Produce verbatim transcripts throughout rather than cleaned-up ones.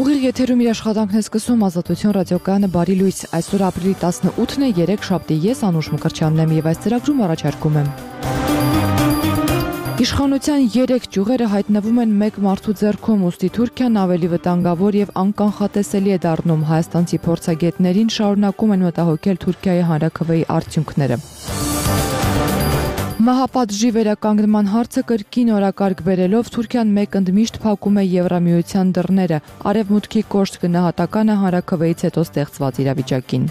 Ուղիղ եթերում իր աշխատանքն է սկսում Ազատություն ռադիոկայանը բարի լույս։ Այսօր ապրիլի տասնութն է, երեկ շաբթի, ես Անուշ Մկրտչյանն եմ եւ այս ծրագրում առաջարկում եմ։ Իշխանության երեք ճյուղերը հայտնվում են մեկ մարդու ձեռքում, ուստի Թուրքիան ավելի վտանգավոր եւ անկանխատեսելի է դառնում։ Հայաստանցի փորձագետներին շարունակում են մտահոգել Թուրքիայի հանրաքվեի արդյունքները։ Մահապատժի վերականգնման հարցը կրկին օրակարգ բերելով Թուրքիան մեկ ընդմիշտ փակում է Եվրամիության դռները։ Արևմուտքի կոշտ գնահատականը հանրաքվեից հետո ստեղծված իրավիճակին։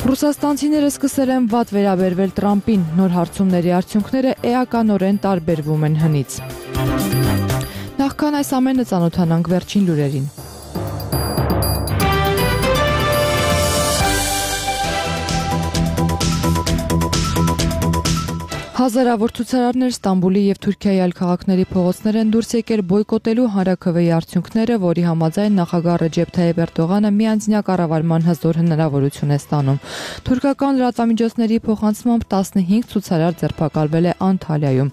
Ռուսաստանցիները սկսել են վատ վերաբերվել Տրամպին, նոր հարցումների արդյունքները էականորեն տարբերվում են հնից։ Նախքան այս ամենը ծանոթանանք վերջին լուրերին։ Հազարավոր ցուցարարներ Ստամբուլի եւ Թուրքիայի այլ քաղաքների փողոցներ են դուրս եկել բոյկոտելու հանրաքվեի արդյունքները, որի համաձայն նախագահ Ռեջեփ Թայիփ Էրդողանը միանձնյա կառավարման հզոր հնարավորություն է ստանում։ Թուրքական լրատվամիջոցների փոխանցմամբ տասնհինգ ցուցարար ձերբակալվել է Անտալիայում։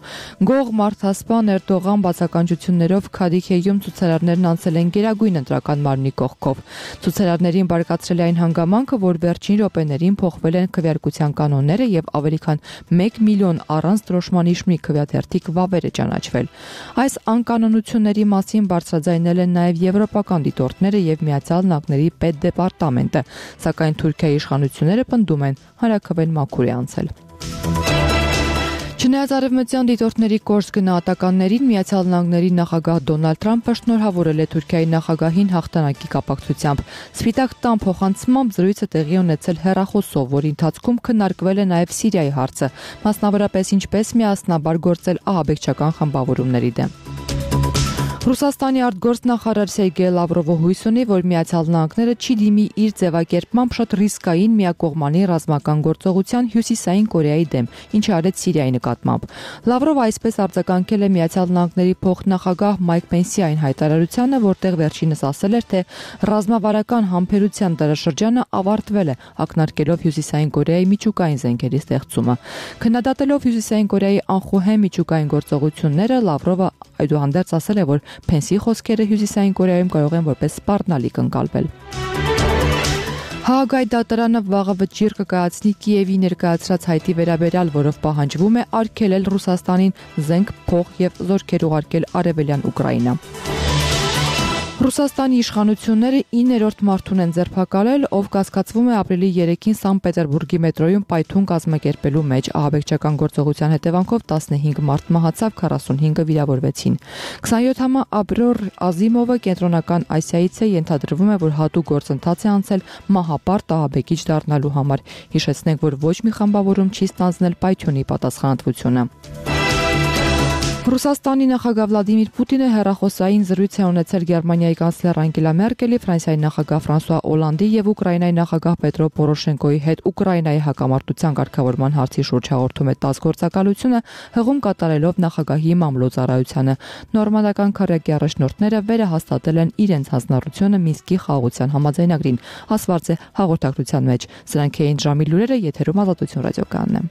Գող մարդասպան Էրդողան բացականչություններով Քադիքեյում ցուցարարներն անցել են Գերագույն ընտրական մարմնի կողքով։ Ցուցարարներին բարկացրել է այն հանգամանքը, որ վերջին րոպեներին փոխվել են քվեարկության կանոնները եւ ավելի քան մեկ միլիոն առանց դրոշման իշխանի քվեաթերթիկ վավեր է ճանաչվել։ Այս անկանոնությունների մասին բարձրաձայնել են նաև եվրոպական դիտորդները եւ Միացյալ Նահանգների պետդեպարտամենտը, սակայն Թուրքիայի իշխանությունները պնդում են հանրաքվեն մաքուր է անցել։ Չնայած արևմտյան դիտորդների կոշտ գնահատականներին, Միացյալ Նահանգների նախագահ Դոնալդ Թրամփը շնորհավորել է Թուրքիայի նախագահին հաղթանակի կապակցությամբ։ Սպիտակ տան փոխանցմամբ զրույցը տեղի ունեցել հեռախոսով, որի ընթացքում քննարկվել է նաև Սիրիայի հարցը, մասնավորապես ինչպես միասնաբար գործել ահաբեկչական խմբավորումների դեմ։ Ռուսաստանի արտգործնախարար Սերգեյ Լավրովը հույս ունի, որ Միացյալ Նահանգները չի դիմի իր ձևակերպմամբ շատ ռիսկային միակողմանի ռազմական գործողության Հյուսիսային Կորեայի դեմ, ինչը արեց Սիրիայի նկատմամբ։ Լավրովը այսպես արձագանքել է Միացյալ Նահանգների փոխնախագահ Մայք Պենսի այն հայտարարությանը, որտեղ վերջինս ասել էր, թե ռազմավարական համբերության դարաշրջանը ավարտվել է, ակնարկելով Հյուսիսային Կորեայի միջուկային զենքերի ստեղծումը։ Քննադատելով Հյուսիսային Կորեայի անխոհեմ միջուկային գործողությունները, Լավրովը այդուհանդերձ ասել է, որ Փենսի խոսքերը Հյուսիսային Կորեայում կարող են որպես սպառնալիք ընկալվել։ Հաագայի դատարանը վաղը վճիռ կկայացնի Կիևի ներկայացրած հայտի վերաբերյալ, որով պահանջվում է արգելել Ռուսաստանին զենք, փող եւ զորքեր ուղարկել արևելյան Ուկրաինա։ Ռուսաստանի իշխանությունները իններորդ մարդուն են ձերբակալել, ով կասկածվում է ապրիլի երեքին Սանկտ Պետերբուրգի մետրոյում պայթուն կազմակերպելու մեջ։ Ահաբեկչական գործողության հետևանքով տասնհինգ մարդ մահացավ, քառասունհինգը վիրավորվեցին։ քսանյոթամյա Աբրոր Ազիմովը կենտրոնական Ասիայից է, ենթադրվում է, որ հատուկ գործընթաց է անցել մահապարտ ահաբեկիչ դառնալու համար։ Հիշեցնենք, որ ոչ մի խմբավորում չի ստանձնել պայթյունի պատասխանատվությունը։ Ռուսաստանի նախագահ Վլադիմիր Պուտինը հեռախոսային զրույց է ունեցել Գերմանիայի կանցլեր Անգելա Մերկելի, Ֆրանսիայի նախագահ Ֆրանսուଆ Օլանդի եւ Ուկրաինայի նախագահ Պետրո Պորոշենկոյի հետ Ուկրաինայի հակամարտության կարգավորման հարցի շուրջ հաղորդում է տաս գործակալությունը, հղում կատարելով նախագահի մամլոյ-ծառայությանը։ Նորմանդական քարյակի առաջնորդները վերահաստատել են իրենց հանձնառությունը Մինսկի խաղաղության համաձայնագրին, ասված է հաղորդակցության մեջ։ Սրանք էին ժամի լուրերը, եթերում Ազատություն ռադիոկայանն է։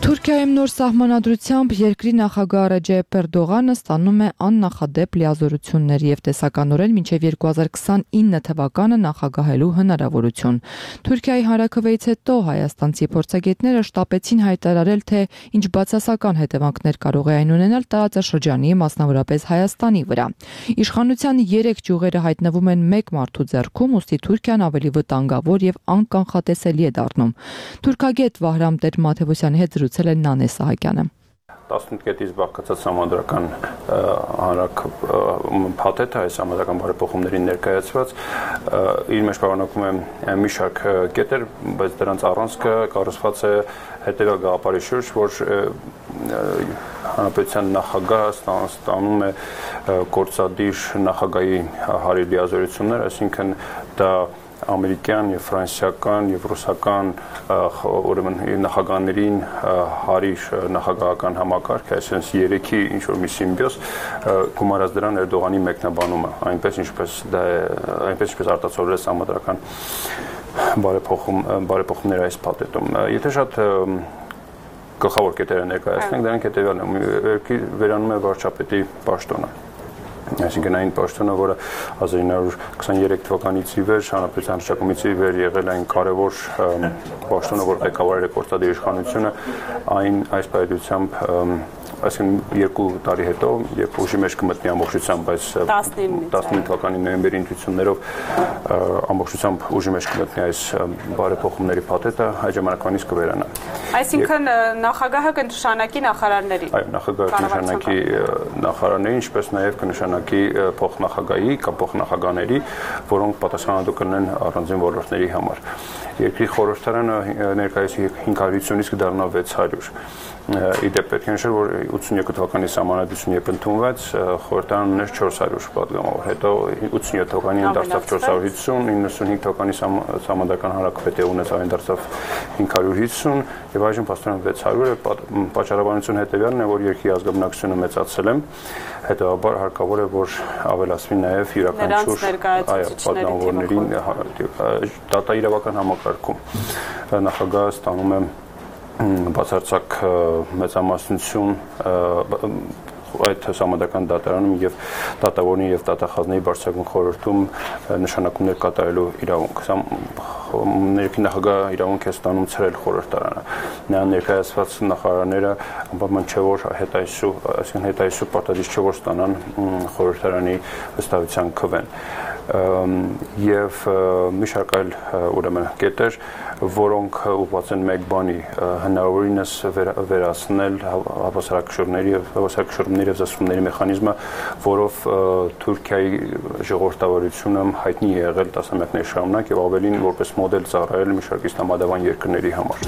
Թուրքիայում նոր սահմանադրությամբ երկրի նախագահ Ռեջեփ Էրդողանը ստանում է աննախադեպ լիազորություններ եւ տեսականորեն մինչեւ երկու հազար քսանինը թվականը նախագահելու հնարավորություն։ Թուրքիայի հանրաքվեից հետո հայաստանցի փորձագետները շտապեցին հայտարարել, թե ինչ բացասական հետևանքներ կարող է այն ունենալ տարածաշրջանի, մասնավորապես Հայաստանի վրա։ Իշխանության երեք ճյուղերը հայտնվում են մեկ մարդու ձեռքում, ուստի Թուրքիան ավելի վտանգավոր եւ անկանխատեսելի է դառնում։ Թուրքագետ Վահրամ Տեր-Մաթեոսյանի հետ զրուցել է Նանե Սահակյանը։ տասնութ կետից բաղկացած համանդրական հանրակ փաթեթը, այս համանդրական բարեփոխումներին ներկայացված, իր մեջ պարունակում է մի շարք կետեր, բայց դրանց առանցքը կառուցված է հետևյալ գաղափարի շուրջ, որ հանրապետության նախագահը ստանում է գործադիր նախագահի հարի լիազորություններ, այսինքն դա ամերիկյան եւ ֆրանսիական եւ ռուսական ուրեմն նախագահներին հարիր նախագահական համակարգ, այսինքն երեքի ինչ որ մի սիմբիոզ գումարած դրան Էրդողանի մեկնաբանումը, այնպես ինչպես դա է, այնպես ինչպես արտացոլվել համադրական բարեփոխում բարեփոխումները այս փաթեթում։ Եթե շատ գլխավոր կետերը ներկայացնենք, դրանք հետևյալն է, երկրի վերանում է վարչապետի պաշտոնը։ Այսինքն այն պաշտոնը, որը հազար ինը հարյուր քսաներեք թվականից ի վեր, հանրապետության հռչակումից ի վեր եղել այն կարևոր պաշտոնը, որ ղեկավարել է գործադիր իշխանությունը, այն այս պայմանությամբ այսինքն երկու տարի հետո, երբ ուժի մեջ կմտնի ամբողջությամբ, այս տասնինը թվականի նոյեմբերի ընտրություններով ամբողջությամբ ուժի մեջ կմտնի այս բարեփոխումների փաթեթը, այդ ժամանակվանից կվերանա։ Այսինքն նախագահը կնշանակի նախարարների։ Այո, նախագահը կնշանակի նախարարների, ինչպես նաև կնշանակի փոխնախագահի կամ փոխնախագահների, որոնք պատասխանատու կլինեն առանձին ոլորտների համար։ Երկրի խորհրդարանը ներկայիս հինգ հարյուրից կդառնա վեց հարյուր։ Իդեպ պետք է նշել, որ ութսունյոթ թվականի սահմանադրությունը երբ ընդունվեց, խորհրդարանը ուներ չորս հարյուր պատգամավոր, հետո ութսունյոթ թվականին դարձավ չորս հարյուր հիսուն, իննսունհինգ թվականի սահմանադրական հանրաքվեթե ունեց այն դարձավ հինգ հարյուր հիսուն, եւ այժմ փաստորեն վեց հարյուր է, պատճառաբանությունը հետեւյալն է, որ երկրի ազգաբնակչությունը մեծացել է, հետեւաբար հարկավոր է, որ ավելացվի նաեւ յուրաքանչյուր այո պատգամավորներին դատաիրավական համակարգում նախագահը ստանում է բացարձակ մեծամասնություն այդ համադական դատարանում եւ դատավորի եւ դատախազների բարձրագույն խորհրդում նշանակումներ կատարելու իրավունք։ Ներքին նախագահ իրավունք է ստանում ցրել խորհրդարանը։ Նա ներկայացված նախարարները անպայման չէ որ հետայսու, այսինքն հետայսու պարտադիր չէ որ ստանան խորհրդարանի վստահության քվեն։ Եվ մի շարք այլ ուրեմն կետեր, որոնք ուղղված են մեկ բանի հնարավորինս վերացնել հավասարակշռումների եւ հավասարակշռումների եւ զսպումների մեխանիզմը, որով Թուրքիայի ժողովրդավարությունը հայտնի է եղել տասնամյակներ շարունակ եւ ավելին որպես մոդել ծառայել մի շարք իսլամադավան երկրների համար։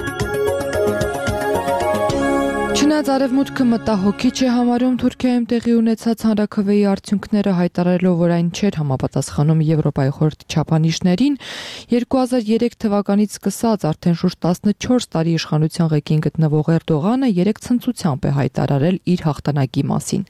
Չնայած Արևմուտքը մտահոգիչ է համարում Թուրքիայում տեղի ունեցած հանրաքվեի արդյունքները, հայտարարելով, որ այն չէր համապատասխանում Եվրոպայի խորհրդի չափանիշներին, երկու հազար երեք թվականից սկսած արդեն շուրջ տասնչորս տարի իշխանության ղեկին գտնվող Էրդողանը երեք ցնծությամբ է հայտարարել իր հաղթանակի մասին։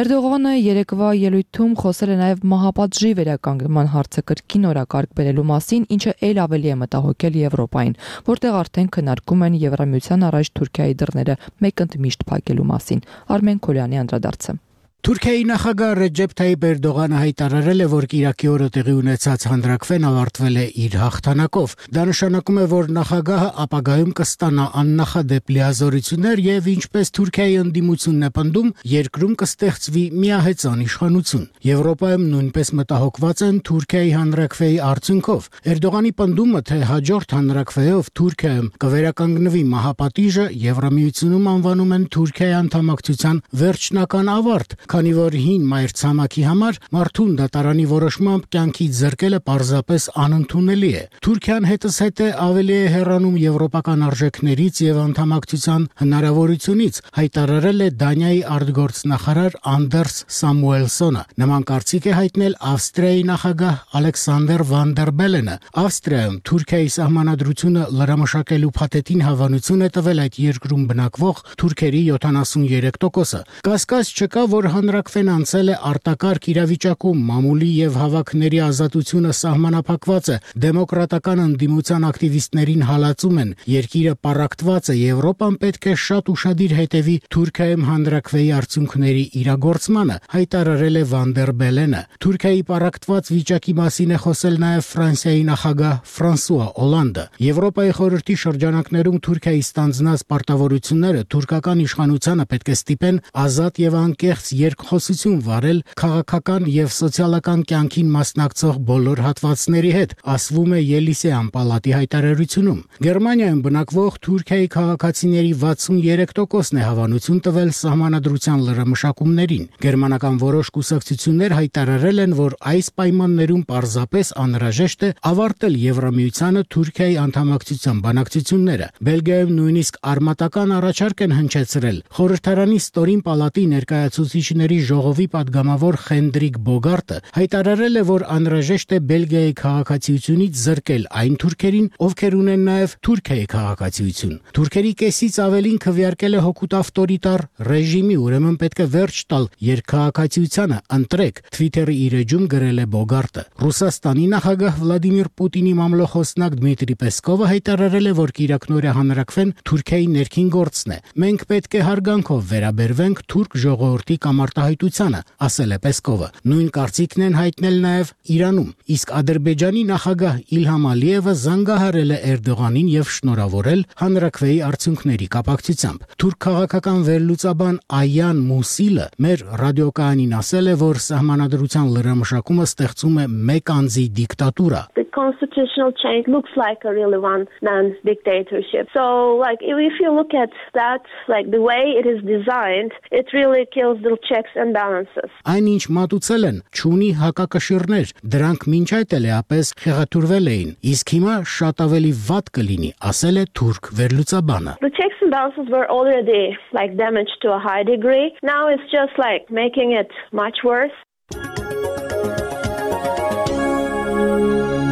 Էրդողանը երեկվա ելույթում խոսել է նաև մահապատժի վերականգնման հարցը կրկին օրակարգ բերելու մասին, ինչը ել ավելի է մտահոգել Եվրոպային, որտեղ արդեն քննարկում են Եվրամիության առաջ Թուրքիայի դռները մեկ ընդմիշտ փակելու մասին։ Արմեն Քոլյանի անդրադարձը։ Թուրքիայի նախագահ Ռեջեփ Թայիփ Էրդողանը հայտարարել է, որ Կիրակի օրը տեղի ունեցած հանրաքվեն ավարտվել է իր հաղթանակով։ Դա նշանակում է, որ նախագահը ապագայում կստանա աննախադեպ լիազորություններ եւ ինչպես Թուրքիայի ընդդիմությունն է պնդում, երկրում կստեղծվի միահեծան իշխանություն։ Եվրոպայում նույնպես մտահոգված են Թուրքիայի հանրաքվեի արդյունքով։ Էրդողանի պնդումը, թե հաջորդ հանրաքվեով Թուրքիայում կվերականգնվի մահապատիժը, Եվրամիությունում անվանում են Թուրքիայի անդամակցության վերջնական ավարտ, քանի որ հին մայրցամաքի համար մարդուն դատարանի որոշմամբ կյանքի զրկելը պարզապես անընդունելի է։ Թուրքիան հետզհետե ավելի է հեռանում եվրոպական արժեքներից եւ անդամակցության հնարավորությունից, հայտարարել է Դանիայի արտգործնախարար Անդերս Սամուելսոնը։ Նման կարծիք է հայտնել Ավստրիայի նախագահ Ալեքսանդր Վան դեր Բելենը։ Ավստրիայում Թուրքիայի սահմանադրությունը լրամշակելու փաթեթին հավանություն է տվել այդ երկրում բնակվող թուրքերի յոթանասուներեք տոկոսը։ Կասկած չկա, որ հանրաքվեն անցել է արտակարգ իրավիճակում, մամուլի եւ հավաքների ազատությունը սահմանափակված է, դեմոկրատական ընդդիմության ակտիվիստներին հալածում են, երկիրը պառակտված է, Եվրոպան պետք է շատ ուշադիր հետևի Թուրքիայում հանրաքվեի արդյունքների իրագործմանը, հայտարարել է Վան դեր Բելենը։ Թուրքիայի պառակտված վիճակի մասին է խոսել նաեւ Ֆրանսիայի նախագահ Ֆրանսուଆ Օլանդը։ Եվրոպայի խորհրդի շրջանակներում Թուրքիայի ստանձնած պարտավորությունները թուրքական իշխանությանը պետք է ստիպեն ազատ եւ անկեղծ երկխոսություն վարել քաղաքական եւ սոցիալական կյանքին մասնակցող բոլոր հատվածների հետ, ասվում է Ելիսեյան պալատի հայտարարությունում։ Գերմանիայում բնակվող Թուրքիայի քաղաքացիների վաթսուներեք տոկոսն է հավանություն տվել սահմանադրության լրամշակումներին։ Գերմանական որոշ կուսակցություններ հայտարարել են, որ այս պայմաններում պարզապես անհրաժեշտ է ավարտել Եվրամիությանը Թուրքիայի անդամակցության բանակցությունները։ Բելգիայում նույնիսկ արմատական առաջարկ են հնչեցրել։ Խորհրդարանի ստորին պալատի ներկայացուցիչ ռուսաստանցիների ժողովի падգամավոր Խենդրիկ Բոգարտը հայտարարել է, որ անհրաժեշտ է Բելգիայի քաղաքացիությունից զրկել այն թուրքերին, ովքեր ունեն նաև Թուրքիայի քաղաքացիություն։ Թուրքերի կեսից ավելին քվեարկել է հօգուտ ավտորիտար ռեժիմի, ուրեմն պետք է վերջ տալ երկքաղաքացիությանը, ընտրեք, Twitter-ի իր էջում գրել է Բոգարտը։ Ռուսաստանի նախագահ Վլադիմիր Պուտինի մամլոխոսնակ Դմիտրի Պեսկովը հայտարարել է, որ կիրակնօրյա հանրաքվեն Թուրքիայի ներքին գործն է։ Մենք պետք է հարգանքով վերաբերվենք թուրք ժողովրդի կամարտահայտությանը, ասել է Պեսկովը։ Նույն կարծիքն են հայտնել նաև Իրանում, իսկ Ադրբեջանի նախագահ Իլհամ Ալիևը զանգահարել է Էրդողանին եւ շնորհավորել հանրաքվեի արդյունքների կապակցությամբ։ Թուրք քաղաքական վերլուծաբան Այան Մուսիլը մեր ռադիոկայանին ասել է, որ սահմանադրության լրամշակումը ստեղծում է մեկ անձի դիկտատուրա։ The constitutional change looks like a really one-man dictatorship. So, like, if you look at that, like, the way it is designed, it really kills the checks and balances. Այն ինչ մատուցել են, չունի հակակշիռներ, դրանք մինչ այդ էլեապես խեղաթյուրվել էին, իսկ հիմա շատ ավելի վատ կլինի, ասել է թուրք վերլուծաբանը։ The checks and balances were already, like, damaged to a high degree. Now it's just, like, making it much worse.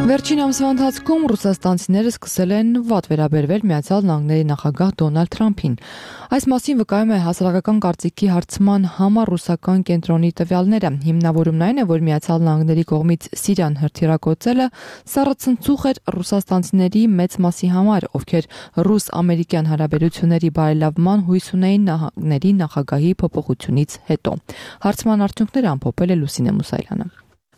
Վերջին ամսվա ընթացքում ռուսաստանցիները սկսել են վատ վերաբերվել Միացյալ Նահանգների նախագահ Դոնալդ Թրամփին։ Այս մասին վկայում է հասարակական կարծիքի հարցման համար ռուսական կենտրոնի տվյալները։ Հիմնավորումն այն է, որ Միացյալ Նահանգների կողմից Սիրիան հրթիռակոծելը սառցընծուղ էր ռուսաստանցիների մեծ մասի համար, ովքեր ռուս-ամերիկյան հարաբերությունների բարելավման հույս ունեին նահանգների նախագահի փոփոխությունից հետո։ Հարցման արդյունքները ամփոփել է Լուսինե Մուսայելյանը։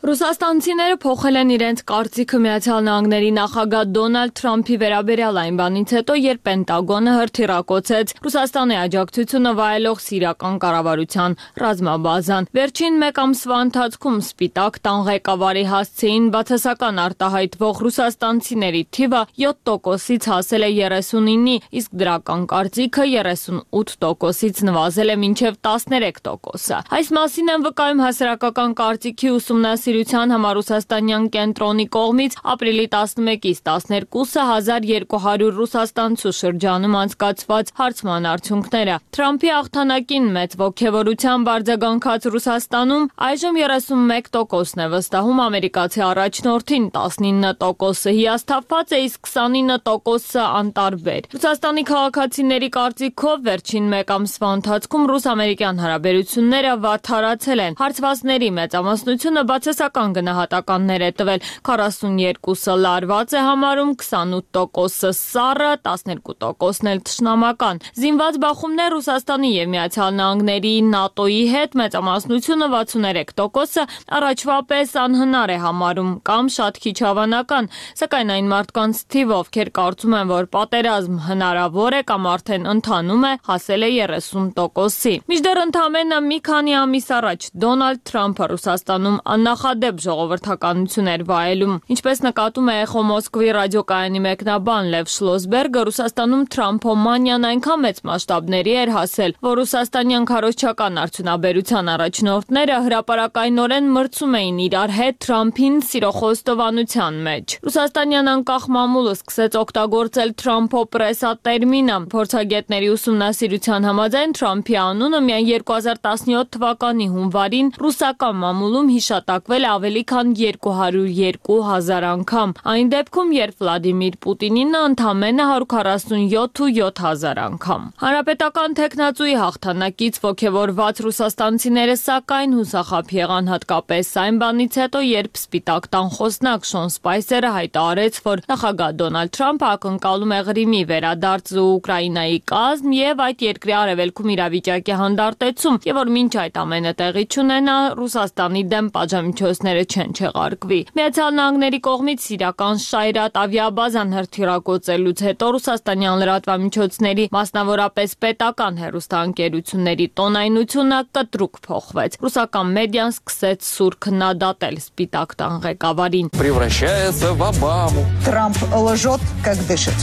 Ռուսաստանցիները փոխել են իրենց կարծիքը Միացյալ Նահանգների նախագահ Դոնալդ Թրամփի վերաբերյալ այն բանից հետո, երբ Պենտագոնը հրթիռակոծեց Ռուսաստանի աջակցությունը վայելող սիրիական կառավարության ռազմաբազան։ Վերջին մեկ ամսվա ընթացքում Սպիտակ տան ղեկավարի հասցեին բացասական արտահայտվող ռուսաստանցիների թիվը յոթ տոկոսից հասել է երեսունինի, իսկ դրական կարծիքը երեսունութ տոկոսից նվազել է մինչև տասներեք տոկոսը։ Այս մասին են վկայում հասարակական կարծիքի ուսումնասիրության համառուսաստանյան կենտրոնի կողմից ապրիլի տասնմեկից տասներկուսը հազար երկու հարյուր ռուսաստանցու շրջանում անցկացված հարցման արդյունքները։ Թրամփի հաղթանակին մեծ ոգևորությամբ արձագանքած Ռուսաստանում այժմ երեսունմեկ տոկոսն է վստահում ամերիկացի առաջնորդին, տասնինը տոկոսը հիասթափված է, իսկ քսանինը տոկոսը անտարբեր։ Ռուսաստանի քաղաքացիների կարծիքով վերջին մեկ ամսվա ընթացքում ռուս-ամերիկյան հարաբերությունները վատթարացել են։ Հարցվածների մեծամասնությունը բացասական գնահատականներ է տվել, քառասունյերկուսը լարված է համարում, քսանութ տոկոսը սառը, տասներկու տոկոսն էլ թշնամական։ Զինված բախումներ Ռուսաստանի եւ Միացյալ Նահանգների ՆԱՏՕ-ի հետ մեծամասնությունը վաթսուներեք տոկոսը առաջվա պես անհնար է համարում կամ շատ քիչ հավանական, սակայն այն մարդկանց թիվը, ովքեր կարծում են, որ պատերազմ հնարավոր է կամ արդեն ընթանում է, հասել է երեսուն տոկոսի։ Մինչդեռ ընդամենը մի քանի ամիս առաջ Դոնալդ Թրամփը Ռուսաստանում աննախադեպ ժողովրդականություն էր վայելում։ Ինչպես նկատում է Էխո Մոսկվի ռադիոկայանի մեկնաբան Լև Շլոսբերգը, Ռուսաստանում Թրամփոմանիան այնքան մեծ մասշտաբների էր հասել, որ ռուսաստանյան քարոզչական արդյունաբերության առաջնորդները հրապարակայնորեն մրցում էին իրար հետ Թրամփին սիրո խոստովանության մեջ։ Ռուսաստանյան անկախ մամուլը սկսեց օգտագործել Թրամփոպրեսա տերմինը։ Փորձագետների ուսումնասիրության համաձայն Թրամփի անունը միայն երկու հազար տասնյոթ թվականի հունվարին ռուսական մամուլում հիշատակվել ավելի քան երկու հարյուր երկու հազար անգամ։ Այն դեպքում, երբ Վլադիմիր Պուտինինը ընդամենը հարյուր քառասունյոթ ու յոթ հազար անգամ։ Հանրապետական թեկնածուի հաղթանակից ոգևորված ռուսաստանցիները սակայն հուսախաբ եղան հատկապես այն բանից հետո, երբ Սպիտակ տան խոսնակ Շոն Սպայսերը հայտարարեց, որ նախագահ Դոնալդ Թրամփը ակնկալում է Ղրիմի վերադարձ Ուկրաինայի կազմ եւ այդ երկրի արևելքում իրավիճակի հանդարտեցում, եւ որ մինչ այդ ամենը տեղի չունենա, Ռուսաստանի դեմ պատժամիջոցները չեն չեղարկվի։ Միացյալ Նահանգների կողմից սիրիական Շայրատ ավիաբազան հրթիռակոծելուց հետո ռուսաստանյան լրատվամիջոցների, մասնավորապես պետական հեռուստաընկերությունների տոնայնությունը կտրուկ փոխվեց։ Ռուսական մեդիան սկսեց սուր քննադատել Սպիտակ տան ղեկավարին։ Превращается в Обаму. Трамп лжет, как дышит.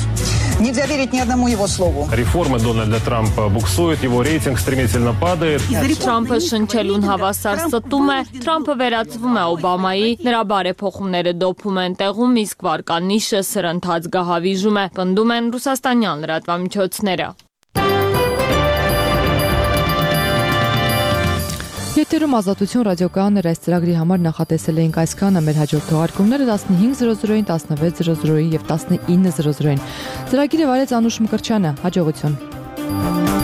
Нельзя верить ни одному его слову. Реформы Дональда Трампа буксуют, его рейтинг стремительно падает. Թրամփը շնչելուն հավասար ստում է, Թրամփը վերածվում է Օբամայի, նրա բարեփոխումները դոփում են տեղում, իսկ վարկանիշը սրընթաց գահավիժում է, պնդում են ռուսաստանյան լրատվամիջոցները։ Եթերում Ազատություն ռադիոկայաններ այս ծրագրի համար նախատեսել էինք այսքանը, մեր հաջորդ թողարկումները տասնհինգ զրո զրոին, տասնվեց զրո զրոին եւ տասնինը զրո զրոին։ Ծրագիրը վարեց Անուշ Մկրտչյանը, հաջողություն։